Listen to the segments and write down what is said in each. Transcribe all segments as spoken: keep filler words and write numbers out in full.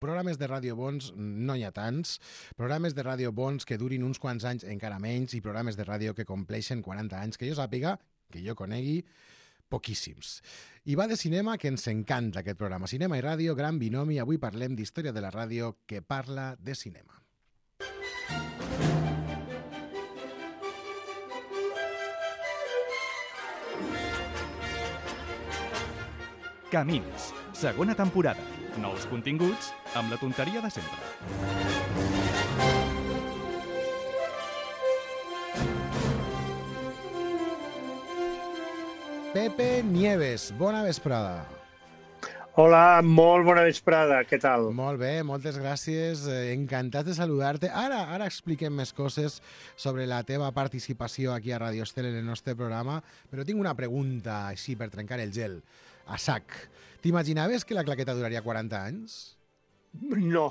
Programes de ràdio bons no hi ha tants, programes de ràdio bons que durin uns quants anys encara menys i programes de ràdio que compleixen quaranta anys, que jo sàpiga, que jo conegui, poquíssims. I va de cinema, que ens encanta aquest programa. Cinema i ràdio, gran binomi. Avui parlem d'història de la ràdio que parla de cinema. Camins, segona temporada. Nous continguts amb la tonteria de sempre. Pepe Nieves, bona vesprada. Hola, molt bona vesprada, què tal? Molt bé, moltes gràcies, eh, encantat de saludar-te. Ara ara expliquem més coses sobre la teva participació aquí a Radio Estel en el nostre programa, però tinc una pregunta així per trencar el gel, a sac. T'imaginaves que la claqueta duraria quaranta anys? No,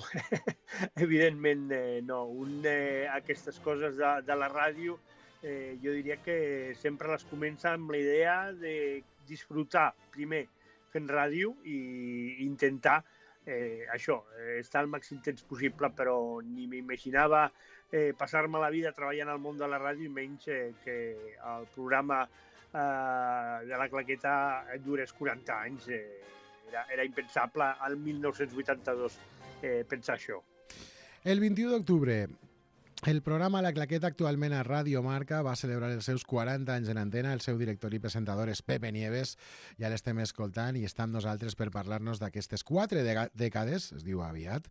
evidentment eh, no. Un, eh, aquestes coses de, de la ràdio, eh, jo diria que sempre les comença amb la idea de disfrutar primer fent ràdio i intentar eh, això, eh, estar el màxim temps possible, però ni m'imaginava eh, passar-me la vida treballant al món de la ràdio i menys eh, que el programa eh, de la claqueta durés quaranta anys. Eh, era, era impensable al mil nou-cents vuitanta-dos eh, pensar això. El vint-i-u d'octubre, el programa La Claqueta, actualment a Radio Marca, va celebrar els seus quaranta anys en antena. El seu director i presentador és Pepe Nieves. Ja l'estem escoltant i està amb nosaltres per parlar-nos d'aquestes quatre dècades, es diu aviat,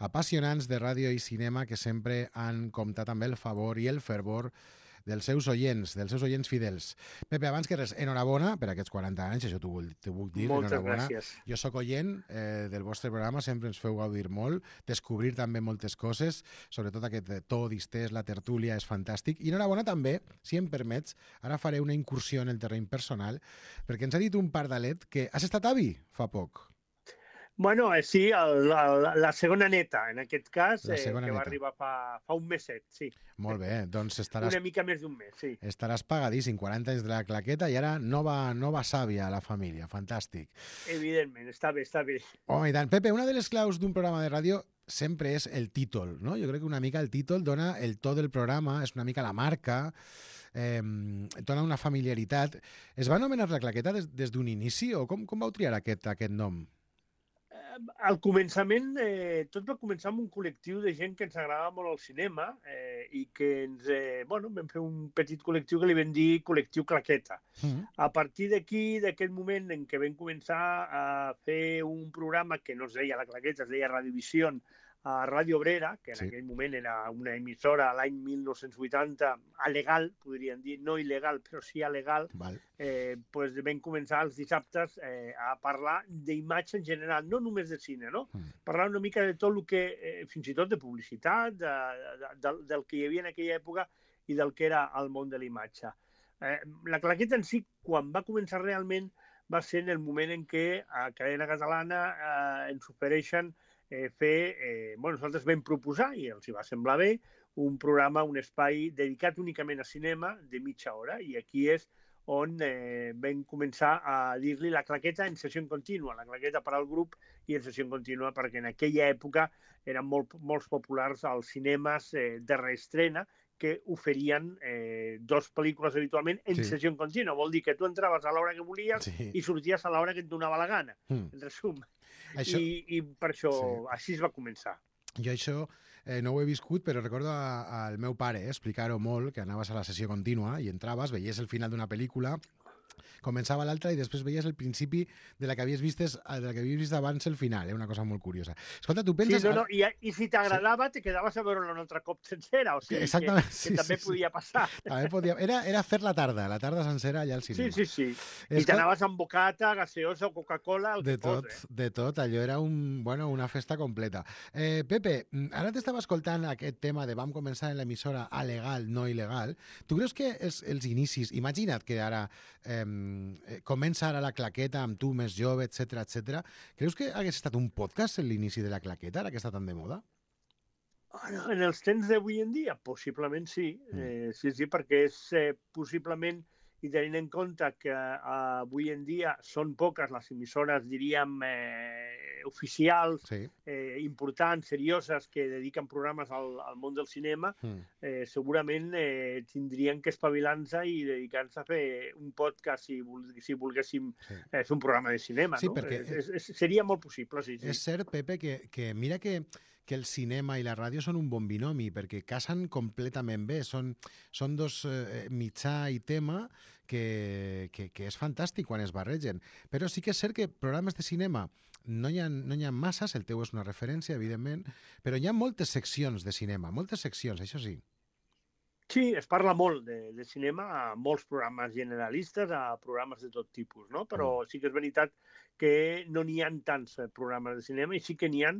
apassionants de ràdio i cinema que sempre han comptat amb el favor i el fervor dels seus oients, dels seus oients fidels. Pepe, abans que res, enhorabona per aquests quaranta anys, això t'ho vull, vull dir, Moltes enhorabona. gràcies. Jo sóc oient eh, del vostre programa, sempre ens feu gaudir molt, descobrir també moltes coses, sobretot aquest to distès, la tertúlia, és fantàstic. I enhorabona també, si em permets, ara faré una incursió en el terreny personal, perquè ens ha dit un pardalet que has estat avi fa poc. Bueno, eh, sí, el, el, la segona neta, en aquest cas, La eh, segona que va neta. arribar fa, fa un meset, sí. Molt bé, doncs estaràs, Una mica més d'un mes, sí. estaràs pagadíssim, quaranta anys de la claqueta i ara nova, nova sàvia a la família, fantàstic. Evidentment, està bé, està bé. Home, i tant. Pepe, una de les claus d'un programa de ràdio sempre és el títol, no? Jo crec que una mica el títol dona el to del programa, és una mica la marca, eh, dona una familiaritat. Es va anomenar la claqueta des, des d'un inici o com, com vau triar aquest, aquest nom? Al començament, eh, tot va començar amb un col·lectiu de gent que ens agradava molt el cinema eh, i que ens, eh, bueno, vam fer un petit col·lectiu que li vam dir Col·lectiu Claqueta. Mm. A partir d'aquí, d'aquest moment en què vam començar a fer un programa que no es deia La Claqueta, es deia Radiovisió, a Ràdio Obrera, que en Sí. aquell moment era una emissora a l'any mil nou-cents vuitanta, alegal, podríem dir, no il·legal, però sí alegal, Val. eh, pues vam començar els dissabtes eh, a parlar d'imatge en general, no només de cine, no? Mm. Parlar una mica de tot el que, eh, fins i tot de publicitat, de, de, de, del que hi havia en aquella època i del que era el món de l'imatge. Eh, la claqueta en si, quan va començar realment, va ser en el moment en què a Cadena Catalana eh, ens ofereixen eh, fer... Eh, bueno, nosaltres vam proposar, i els hi va semblar bé, un programa, un espai dedicat únicament a cinema de mitja hora, i aquí és on eh, vam començar a dir-li la claqueta en sessió contínua, la claqueta per al grup i en sessió contínua, perquè en aquella època eren molt, molt populars els cinemes eh, de reestrena que oferien eh, dos pel·lícules habitualment en Sí. sessió contínua. Vol dir que tu entraves a l'hora que volies Sí. i sorties a l'hora que et donava la gana, Mm. en resum. Això, I, I per això, Sí. així es va començar. jo això eh, no ho he viscut, però recordo a- al meu pare eh, explicar-ho molt, que anaves a la sessió contínua i entraves, veies el final d'una pel·lícula, començava l'altra i després veies el principi de la que havies vist, de la que havies vist abans el final, eh? Una cosa molt curiosa. Escolta, tu Sí, penses... no, no, i, i si t'agradava, te quedaves a veure-la un altre cop sencera, o sigui, que, Exactament, que sí, també sí, sí. podia passar. També podia... era, era fer la tarda, la tarda sencera allà al Sí, cinema. sí, sí. I Escol- t'anaves amb bocata, gaseosa o Coca-Cola, el De que tot, fos, eh? de tot, allò era un, bueno, una festa completa. Eh, Pepe, ara t'estava escoltant aquest tema de vam començar en l'emissora a legal, no il·legal. Tu creus que els, els inicis, imagina't que ara eh, comença ara la claqueta amb tu més jove, etcètera, etcètera. Creus que hagués estat un podcast en l'inici de la claqueta, ara que està tan de moda? En els temps d'avui en dia, possiblement sí. Mm. Eh, sí, sí, perquè és eh, possiblement i tenint en compte que eh, avui en dia són poques les emissores, diríem, eh, oficials, Sí. eh, importants, serioses, que dediquen programes al, al món del cinema, Mm. eh, segurament eh, tindrien que espavilar-se i dedicar-se a fer un podcast si, vol, si volguéssim Sí. eh, fer un programa de cinema. Sí, no? perquè- És, és, seria molt possible, sí. sí. És cert, Pepe, que, que mira que, que el cinema i la ràdio són un bon binomi, perquè casen completament bé. Són, són dos eh, mitjà i tema que, que, que és fantàstic quan es barregen. Però sí que és cert que programes de cinema no hi ha, no hi ha masses, el teu és una referència, evidentment, però hi ha moltes seccions de cinema, moltes seccions, això sí. Sí, es parla molt de, de cinema a molts programes generalistes, a programes de tot tipus, no? Però sí que és veritat que no n'hi ha tants eh, programes de cinema i sí que n'hi ha,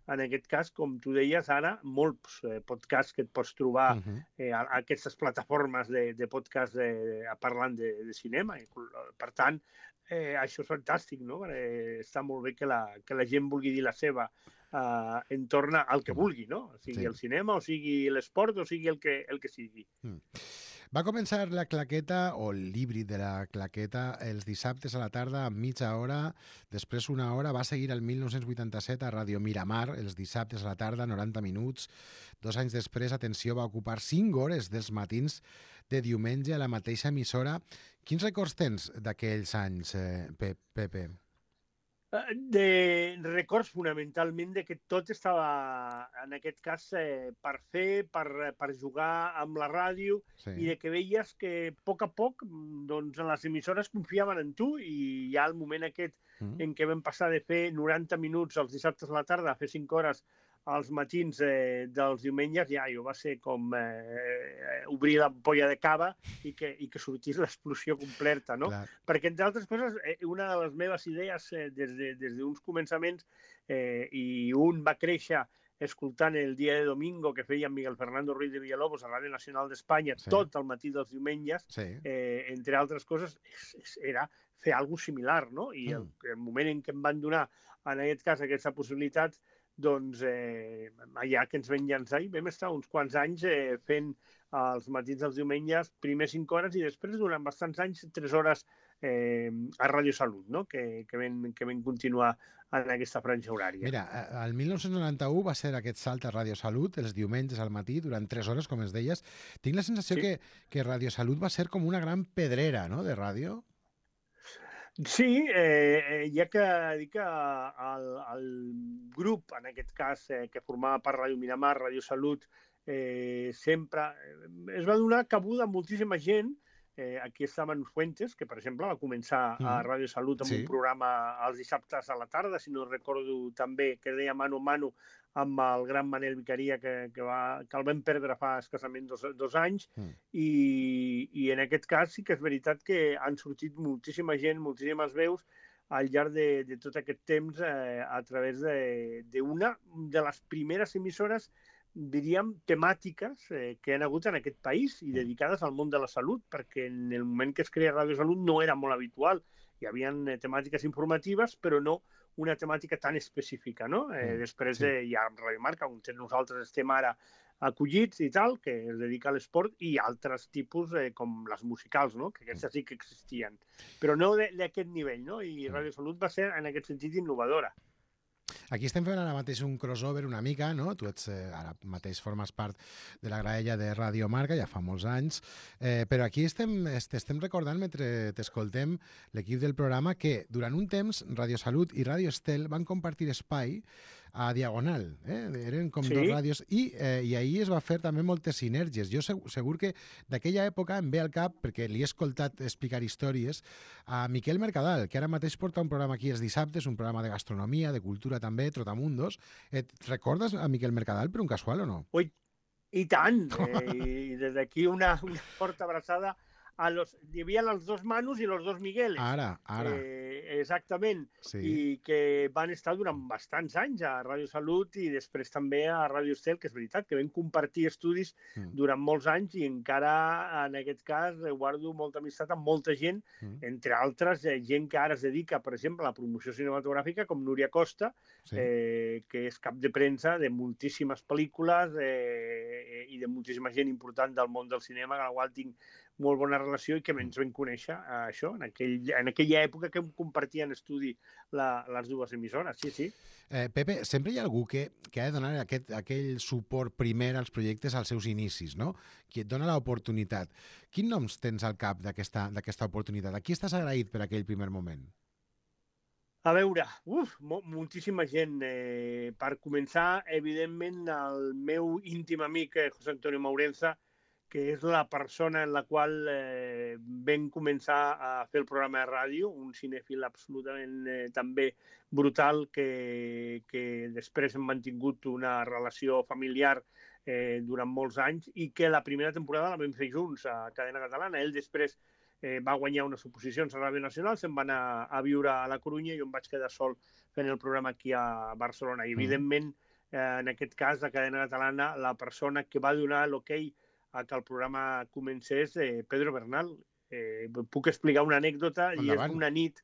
en aquest cas, com tu deies ara, molts eh, podcasts que et pots trobar Uh -huh. eh, a, a aquestes plataformes de, de podcast de, a parlant de, de cinema. I, per tant, eh, això és fantàstic, no? Eh, està molt bé que la, que la gent vulgui dir la seva eh, en torn al que vulgui, no? O sigui Sí. el cinema, o sigui l'esport, o sigui el que, el que sigui. Mm. Va començar la claqueta, o l'híbrid de la claqueta, els dissabtes a la tarda amb mitja hora, després una hora, va seguir el mil nou-cents vuitanta-set a Ràdio Miramar, els dissabtes a la tarda, noranta minuts. Dos anys després, atenció, va ocupar cinc hores dels matins de diumenge a la mateixa emissora. Quins records tens d'aquells anys, eh, Pepe? De records fonamentalment de que tot estava, en aquest cas, eh, per fer, per, per jugar amb la ràdio, Sí. i de que veies que a poc a poc doncs, les emissores confiaven en tu, i ja el moment aquest Mm. en què vam passar de fer noranta minuts els dissabtes a la tarda a fer cinc hores als matins eh, dels diumenges, ja jo va ser com eh, obrir l'ampolla de cava i que, i que sortís l'explosió completa, no? Clar. Perquè, entre altres coses, eh, una de les meves idees eh, des de, des d'uns començaments, eh, i un va créixer escoltant el Dia de Domingo que feia Miguel Fernando Ruiz de Villalobos a Ràdio Nacional d'Espanya, Sí. tot el matí dels diumenges, Sí. eh, entre altres coses, és, és, era fer alguna similar, no? I el, el moment en què em van donar, en aquest cas, aquesta possibilitat, doncs eh, allà que ens vam llançar i vam estar uns quants anys eh, fent els matins dels diumenges, primer cinc hores i després, durant bastants anys, tres hores eh, a Ràdio Salut, no? que, que, vam, que vam continuar en aquesta franja horària. Mira, el mil nou-cents noranta-u va ser aquest salt a Ràdio Salut, els diumenges al matí, durant tres hores, com es deies. Tinc la sensació Sí. que, que Ràdio Salut va ser com una gran pedrera, no?, de ràdio. Sí, eh, ja que dic que el, el grup, en aquest cas, eh, que formava part Ràdio Miramar, Ràdio Salut, eh, sempre eh, es va donar cabuda a moltíssima gent. Eh, aquí està Manu Fuentes, que, per exemple, va començar a Ràdio Salut amb Sí. un programa els dissabtes a la tarda, si no recordo també, que deia Mano a Mano, amb el gran Manel Vicaria, que, que, va, que el vam perdre fa escassament dos, dos anys, Mm. i, i en aquest cas sí que és veritat que han sortit moltíssima gent, moltíssimes veus, al llarg de, de tot aquest temps eh, a través d'una de, de les primeres emissores, diríem, temàtiques eh, que han hagut en aquest país i dedicades al món de la salut, perquè en el moment que es crea Ràdio Salut no era molt habitual. Hi havia eh, temàtiques informatives, però no una temàtica tan específica, no? Eh, Mm, després sí. eh, hi ha Ràdio Marca, on nosaltres estem ara acollits i tal, que es dedica a l'esport, i altres tipus eh, com les musicals, no? Que aquestes sí que existien. Però no d'aquest nivell, no? I Ràdio Salut va ser, en aquest sentit, innovadora. Aquí estem fent ara mateix un crossover una mica, no? Tu ets, eh, ara mateix formes part de la graella de Radio Marca, ja fa molts anys, eh, però aquí estem, est- estem recordant, mentre t'escoltem, l'equip del programa, que durant un temps Radio Salut i Radio Estel van compartir espai a Diagonal, eh? Eren com Sí. dos ràdios, i, eh, i ahir es va fer també moltes sinergies. Jo segur, segur que d'aquella època em ve al cap, perquè li he escoltat explicar històries, a Miquel Mercadal, que ara mateix porta un programa aquí els dissabtes, un programa de gastronomia, de cultura també, Trotamundos. Et recordes a Miquel Mercadal per un casual o no? Ui, i tant! Eh, I des d'aquí una, una forta abraçada a los... Hi havia els dos Manus i els dos Migueles. Ara, ara. Eh, eh, exactament, Sí. i que van estar durant bastants anys a Ràdio Salut i després també a Ràdio Estel, que és veritat, que vam compartir estudis Mm. durant molts anys i encara, en aquest cas, guardo molta amistat amb molta gent, Mm. entre altres, eh, gent que ara es dedica, per exemple, a la promoció cinematogràfica, com Núria Costa, Sí. eh, que és cap de premsa de moltíssimes pel·lícules eh, i de moltíssima gent important del món del cinema, amb la qual tinc molt bona relació i que ens vam conèixer eh, això, en, aquell, en aquella època que compartien estudi la, les dues emissores, sí, sí. Eh, Pepe, sempre hi ha algú que, que ha de donar aquest, aquell suport primer als projectes als seus inicis, no? Qui et dona l'oportunitat. Quins noms tens al cap d'aquesta d'aquesta oportunitat? A qui estàs agraït per aquell primer moment? A veure, uf, mo moltíssima gent. Eh, per començar, evidentment, el meu íntim amic, eh, José Antonio Maurenza, que és la persona en la qual eh, vam començar a fer el programa de ràdio, un cinèfil absolutament eh, també brutal, que, que després hem mantingut una relació familiar eh, durant molts anys i que la primera temporada la vam fer junts a Cadena Catalana. Ell després eh, va guanyar unes oposicions a Ràdio Nacional, se'n va anar a viure a la Corunya i jo em vaig quedar sol fent el programa aquí a Barcelona. I, evidentment, eh, en aquest cas, a Cadena Catalana, la persona que va donar l'hoquei a que el programa comencés, eh, Pedro Bernal. Eh, puc explicar una anècdota, i és una nit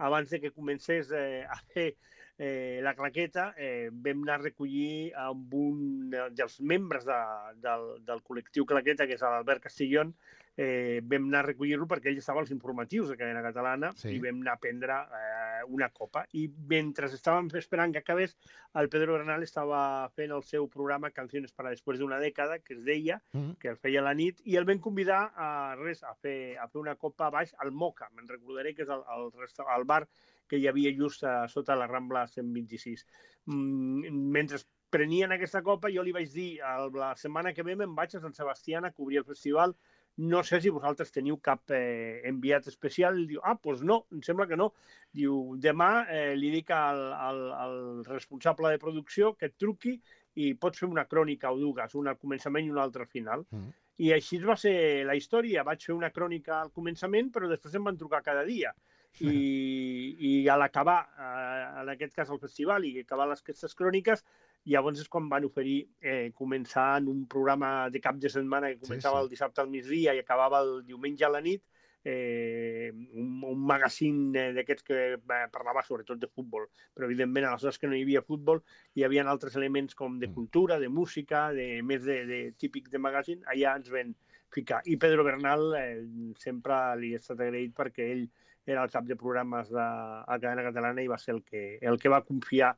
abans de que comencés eh, a fer eh, la claqueta, eh, vam anar a recollir amb un dels membres de, del, del col·lectiu Claqueta, que és l'Albert Castillón, eh, vam anar a recollir-lo perquè ell estava als informatius de Cadena Catalana, sí. I vam anar a prendre eh, una copa. I mentre estàvem esperant que acabés, el Pedro Bernal estava fent el seu programa Canciones para después de una dècada, que es deia, mm. que el feia a la nit, i el vam convidar a, res, a, fer, a fer una copa baix al Moca. Me'n recordaré que és el, el, el bar que hi havia just a, sota la Rambla cent vint-i-sis. Mm, mentre prenien aquesta copa, jo li vaig dir, la setmana que ve me'n vaig a Sant Sebastià a cobrir el festival, no sé si vosaltres teniu cap eh, enviat especial. Diu, ah, doncs no, em sembla que no. Diu, demà eh, li dic al, al, al responsable de producció que et truqui i pots fer una crònica o dues, una al començament i una altra al final. Mm. I així va ser la història. Vaig fer una crònica al començament, però després em van trucar cada dia. I, i a l'acabar, eh, en aquest cas el festival, i acabar les, aquestes cròniques, llavors és quan van oferir eh, començar en un programa de cap de setmana que començava sí, sí. el dissabte al migdia i acabava el diumenge a la nit, eh, un, un magazine d'aquests que eh, parlava sobretot de futbol. Però, evidentment, a les hores que no hi havia futbol, hi havia altres elements com de cultura, de música, de més de, de típic de magazine, allà ens ven ficar. I Pedro Bernal eh, sempre li he estat agraït perquè ell era el cap de programes de, a Cadena Catalana i va ser el que, el que va confiar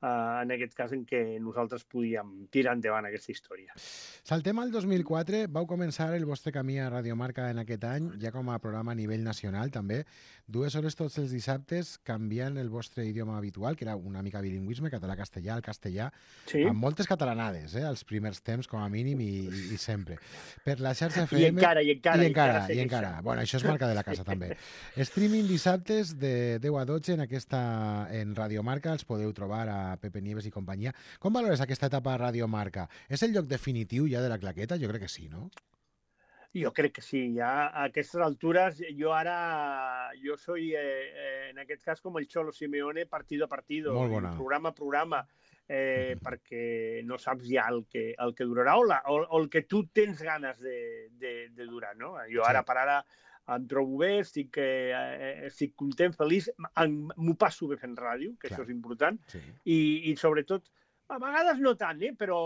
Uh, en aquest cas en què nosaltres podíem tirar endavant aquesta història. Saltem al dos mil quatre, vau començar el vostre camí a Radio Marca en aquest any, ja com a programa a nivell nacional també, dues hores tots els dissabtes canviant el vostre idioma habitual, que era una mica bilingüisme, català-castellà, el castellà, sí. amb moltes catalanades, eh, els primers temps com a mínim i, i, i sempre. Per la xarxa F M... I encara, i encara. I encara, i encara. I encara. Bueno, això és marca de la casa també. Streaming dissabtes de deu a dotze en aquesta en Radio Marca, els podeu trobar a Pepe Nieves i companyia. Com valores aquesta etapa a Radio Marca? És el lloc definitiu ja de la claqueta? Jo crec que sí, no? Jo crec que sí. Ja a aquestes altures, jo ara, jo soy, eh, en aquest cas, com el Cholo Simeone, partido a partido, programa a programa, eh, mm. perquè no saps ja el que, el que durarà o, la, o, o el que tu tens ganes de, de, de durar, no? Jo ara, sí. per ara, em trobo bé, estic, eh, estic content, feliç, m'ho passo bé fent ràdio, que Clar. Això és important, sí. I, i sobretot, a vegades no tant, eh, però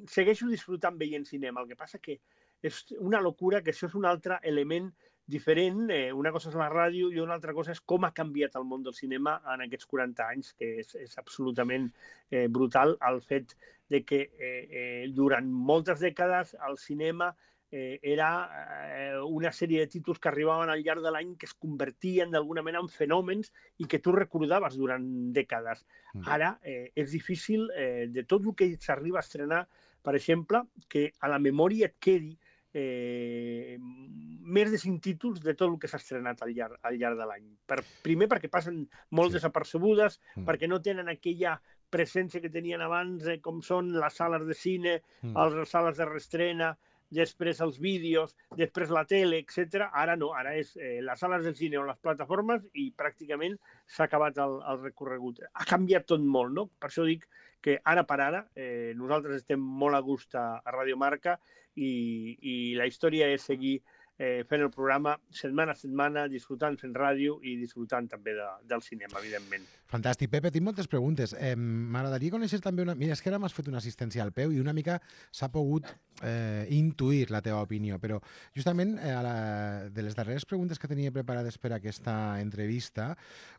segueixo disfrutant veient cinema. El que passa que és una locura, que això és un altre element diferent. Eh, una cosa és la ràdio i una altra cosa és com ha canviat el món del cinema en aquests quaranta anys, que és, és absolutament eh, brutal el fet de que eh, eh, durant moltes dècades el cinema Eh, era eh, una sèrie de títols que arribaven al llarg de l'any que es convertien d'alguna manera en fenòmens i que tu recordaves durant dècades. Mm. Ara eh, és difícil, eh, de tot el que s'arriba a estrenar, per exemple, que a la memòria et quedi eh, més de cinc títols de tot el que s'ha estrenat al llarg, al llarg de l'any. Per, primer perquè passen molt sí. desapercebudes, mm. perquè no tenen aquella presència que tenien abans, eh, com són les sales de cine, mm. les sales de reestrena, després els vídeos, després la tele, etcètera. Ara no, ara és eh, les sales del cine o les plataformes i pràcticament s'ha acabat el, el recorregut. Ha canviat tot molt, no? Per això dic que ara per ara eh, nosaltres estem molt a gust a, a Radio Marca i, i la història és seguir eh, fent el programa setmana a setmana, disfrutant fent ràdio i disfrutant també de, del cinema, evidentment. Fantàstic. Pepe, tinc moltes preguntes. Eh, M'agradaria conèixer també una... Mira, és que ara m'has fet una assistència al peu i una mica s'ha pogut eh, intuir la teva opinió, però justament eh, a la... de les darreres preguntes que tenia preparades per a aquesta entrevista,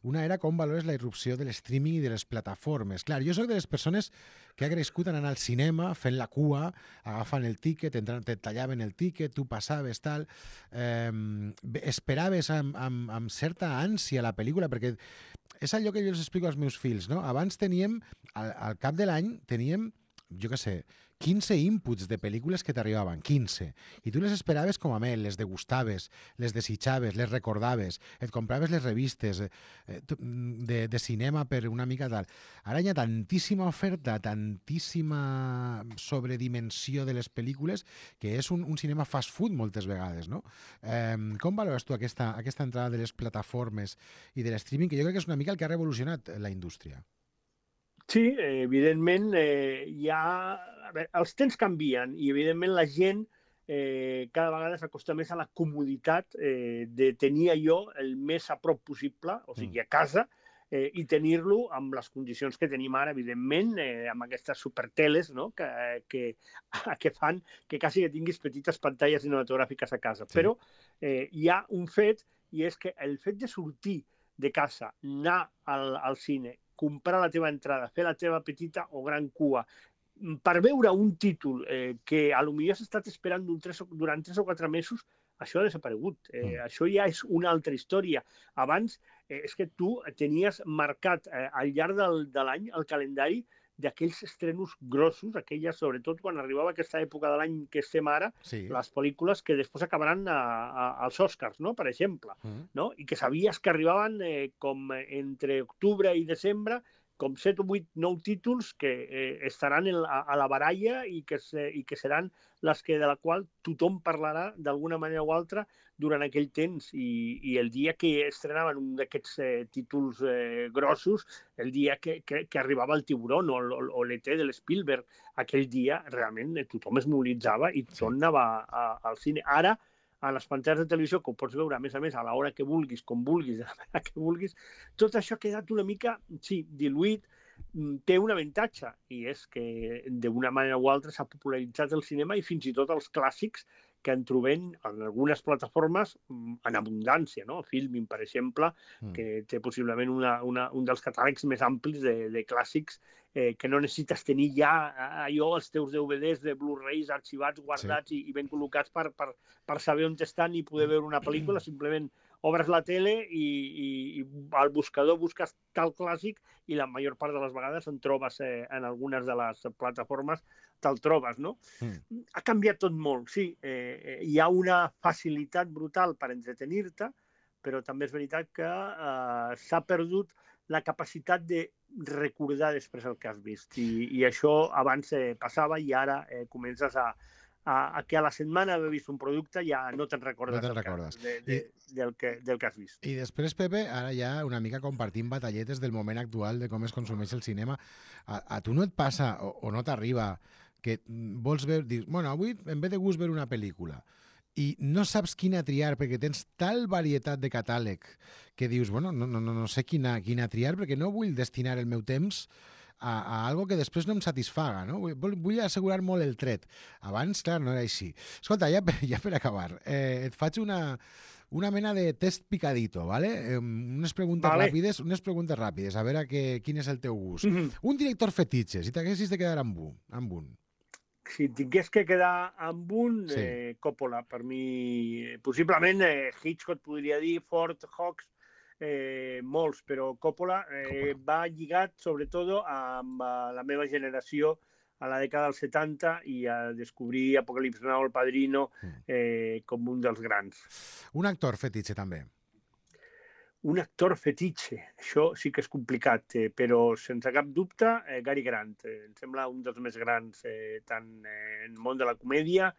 una era com valores la irrupció de l'streaming i de les plataformes. Clar, jo soc de les persones que ha crescut anant al cinema, fent la cua, agafant el tíquet, entrant, te tallaven el tíquet, tu passaves, tal... Eh, esperaves amb, amb, amb certa ànsia la pel·lícula, perquè és allò que jo els explico als meus fills, no? Abans teníem, al, al cap de l'any, teníem, jo què sé, quinze inputs de pel·lícules que t'arribaven, quinze. I tu les esperaves com a mel, les degustaves, les desitjaves, les recordaves, et compraves les revistes eh, de, de cinema per una mica tal. Ara hi ha tantíssima oferta, tantíssima sobredimensió de les pel·lícules, que és un, un cinema fast food moltes vegades, no? Eh, com valores tu aquesta, aquesta entrada de les plataformes i de l'streaming, que jo crec que és una mica el que ha revolucionat la indústria? Sí, evidentment, eh, hi ha... A veure, els temps canvien i, evidentment, la gent eh, cada vegada s'acosta més a la comoditat eh, de tenir allò el més a prop possible, o sigui, a casa, eh, i tenir-lo amb les condicions que tenim ara, evidentment, eh, amb aquestes superteles, no?, que, que, que fan que quasi que tinguis petites pantalles cinematogràfiques a casa. Sí. Però eh, hi ha un fet, i és que el fet de sortir de casa, anar al, al cine, comprar la teva entrada, fer la teva petita o gran cua, per veure un títol eh, que a lo millor has estat esperant un tres, durant tres o quatre mesos, això ha desaparegut. Eh, mm. Això ja és una altra història. Abans eh, és que tu tenies marcat eh, al llarg del, de l'any el calendari d'aquells estrenos grossos, aquelles, sobretot quan arribava aquesta època de l'any que estem ara, sí. Les pel·lícules que després acabaran a, a, als Oscars, no?, per exemple, mm. no? I que sabies que arribaven eh, com entre octubre i desembre, com set o vuit, nou títols que eh, estaran en la, a la baralla i que, se, i que seran les que de la qual tothom parlarà d'alguna manera o altra durant aquell temps. I, i el dia que estrenaven un d'aquests eh, títols eh, grossos, el dia que, que, que arribava el Tiburón o, o, o l'E T de l'Spielberg, aquell dia realment eh, tothom es mobilitzava i tothom sí. anava a, a, al cine. Ara, a les pantalles de televisió, que ho pots veure, a més a més, a l'hora que vulguis, com vulguis, a l'hora que vulguis, tot això ha quedat una mica, sí, diluït, té un avantatge, i és que d'una manera o altra s'ha popularitzat el cinema i fins i tot els clàssics que en trobem en algunes plataformes en abundància, no? Filmin, per exemple, mm. que té possiblement una, una, un dels catàlegs més amplis de, de clàssics eh, que no necessites tenir ja allò, els teus D V Ds de Blu-rays arxivats, guardats sí. i, i ben col·locats per, per, per saber on estan i poder veure una pel·lícula. Simplement obres la tele i, i, i al buscador busques tal clàssic i la major part de les vegades en trobes eh, en algunes de les plataformes te'l trobes, no? Mm. Ha canviat tot molt, sí. Eh, hi ha una facilitat brutal per entretenir-te, però també és veritat que eh, s'ha perdut la capacitat de recordar després el que has vist. I, i això abans eh, passava i ara eh, comences a, a, a que a la setmana haver vist un producte ja no te'n recordes, no te'n recordes. De, de, I, del, que, del que has vist. I després, Pepe, ara ja una mica compartim batalletes del moment actual de com es consumeix el cinema. A, a tu no et passa o, o no t'arriba que vols veure, dius, bueno, avui en ve de gust veure una pel·lícula i no saps quina triar perquè tens tal varietat de catàleg que dius, bueno, no, no, no sé quina, quina triar perquè no vull destinar el meu temps a, a algo que després no em satisfaga, no? Vull, vull assegurar molt el tret. Abans, clar, no era així. Escolta, ja, ja per acabar, eh, et faig una, una mena de test picadito, ¿vale? Eh, unes preguntes vale. ràpides, unes preguntes ràpides, a veure que, quin és el teu gust. Mm-hmm. Un director fetitxe, si t'haguessis de quedar amb un. Amb un. Si tingués que quedar amb un, sí. eh, Coppola, per mi, possiblement eh, Hitchcock podria dir, Ford, Hawks, eh, molts, però Coppola, eh, Coppola va lligat sobretot amb uh, la meva generació a la dècada dels setanta i a descobrir Apocalipsi Now, El Padrino, eh, com un dels grans. Un actor fetitxe, també. un actor fetitxe. Això sí que és complicat, eh, però sense cap dubte, eh, Cary Grant. Eh, em sembla un dels més grans, eh, tant eh, en el món de la comèdia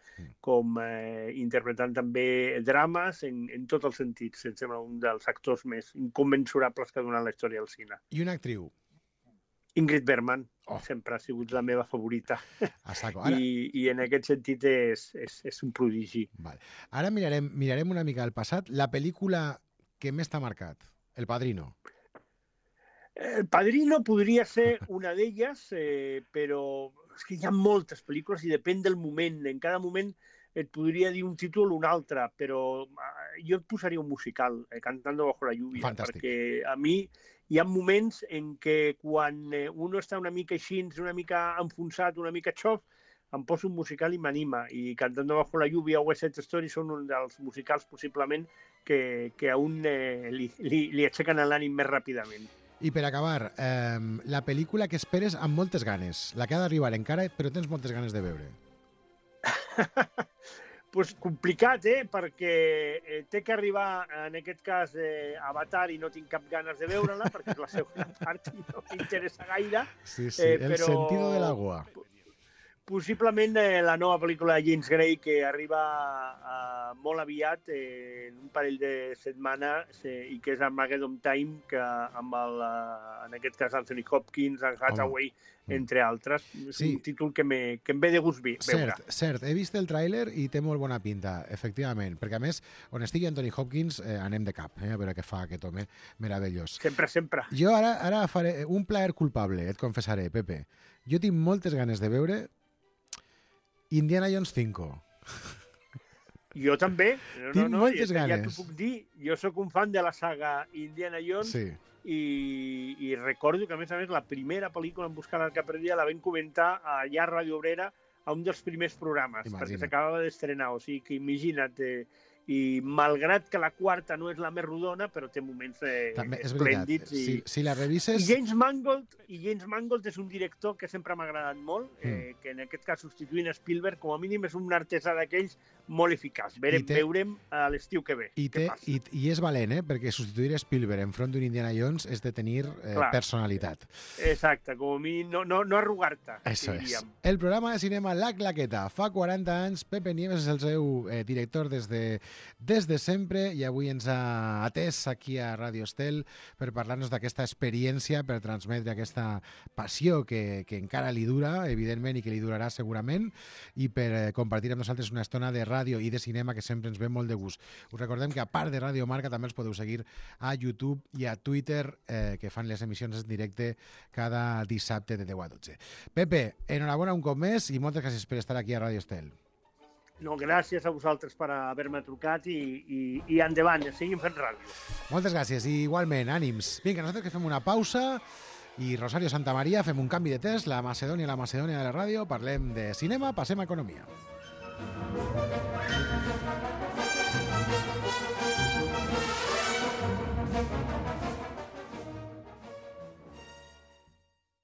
com eh, interpretant també drames en, en tots els sentits. Em sembla un dels actors més inconmensurables que ha donat la història del cine. I una actriu? Ingrid Bergman, oh. sempre ha sigut la meva favorita. A saco. Ara... I, I en aquest sentit és, és, és un prodigi. Vale. Ara mirarem, mirarem una mica al passat. La pel·lícula que més t'ha marcat, El Padrino. El Padrino podria ser una d'elles, eh, però és que hi ha moltes pel·lícules i depèn del moment. En cada moment et podria dir un títol o un altre, però jo et posaria un musical, eh, Cantando bajo la lluvia, Fantàstic. Perquè a mi hi ha moments en què quan uno està una mica així, una mica enfonsat, una mica xof, em poso un musical i m'anima. I Cantando bajo la lluvia o West Side Story són un dels musicals possiblement que, que a un eh, li, li, li aixequen l'ànim més ràpidament. I per acabar, eh, la pel·lícula que esperes amb moltes ganes, la que ha d'arribar encara, però tens moltes ganes de veure. Pues complicat, eh? Perquè eh, té que arribar, en aquest cas, eh, Avatar i no tinc cap ganes de veure-la, perquè la segona part no m'interessa gaire. Sí, sí, eh, el però... sentido del agua. Possiblement eh, la nova pel·lícula de James Gray, que arriba eh, molt aviat, eh, en un parell de setmanes, eh, i que és Armageddon Time, que amb el, eh, en aquest cas Anthony Hopkins, Anne Hathaway, Home. entre altres. És sí. un títol que, me, que em ve de gust veure. Cert, cert. He vist el tràiler i té molt bona pinta, efectivament, perquè a més, on estigui Anthony Hopkins, eh, anem de cap, eh, a veure què fa aquest home meravellós. Sempre, sempre. Jo ara, ara faré un plaer culpable, et confessaré, Pepe. Jo tinc moltes ganes de veure Indiana Jones cinco. Jo també. No, Tinc no, no, moltes ja, ganes. Ja t'ho puc dir. Jo sóc un fan de la saga Indiana Jones sí. i, i recordo que, a més a més, la primera pel·lícula en Buscar l'arca perdida la vam comentar allà a Ràdio Obrera a un dels primers programes, Imagina't. perquè s'acabava d'estrenar. O sigui que imagina't, eh, i malgrat que la quarta no és la més rodona, però té moments eh, També, és esplèndids. I... Si, si la I revises... James Mangold, i James Mangold és un director que sempre m'ha agradat molt, eh, Mm. que en aquest cas substituint Spielberg, com a mínim és un artesà d'aquells molt eficaç. Verem, té- veurem a l'estiu que ve. I, què té, passa. i, I és valent, eh? Perquè substituir Spielberg enfront d'un Indiana Jones és de tenir eh, Clar. personalitat. Exacte, com a mínim no, no, no arrugar-te. Eso es. diríem. El programa de cinema La Claqueta. Fa quaranta anys, Pepe Nieves és el seu eh, director des de, des de sempre i avui ens ha atès aquí a Radio Estel per parlar-nos d'aquesta experiència, per transmetre aquesta passió que, que encara li dura, evidentment, i que li durarà segurament, i per eh, compartir amb nosaltres una estona de ràdio i de cinema que sempre ens ve molt de gust. Us recordem que a part de Radio Marca també els podeu seguir a YouTube i a Twitter, eh, que fan les emissions en directe cada dissabte de deu a dotze. Pepe, enhorabona un cop més i moltes gràcies per estar aquí a Radio Estel. No, gràcies a vosaltres per haver-me trucat i, i, i endavant, seguim fent ràdio. Moltes gràcies i igualment, ànims. Vinga, nosaltres que fem una pausa i Rosario Santamaria fem un canvi de test, la Macedònia, la Macedònia de la ràdio, parlem de cinema, passem a economia. Thank you.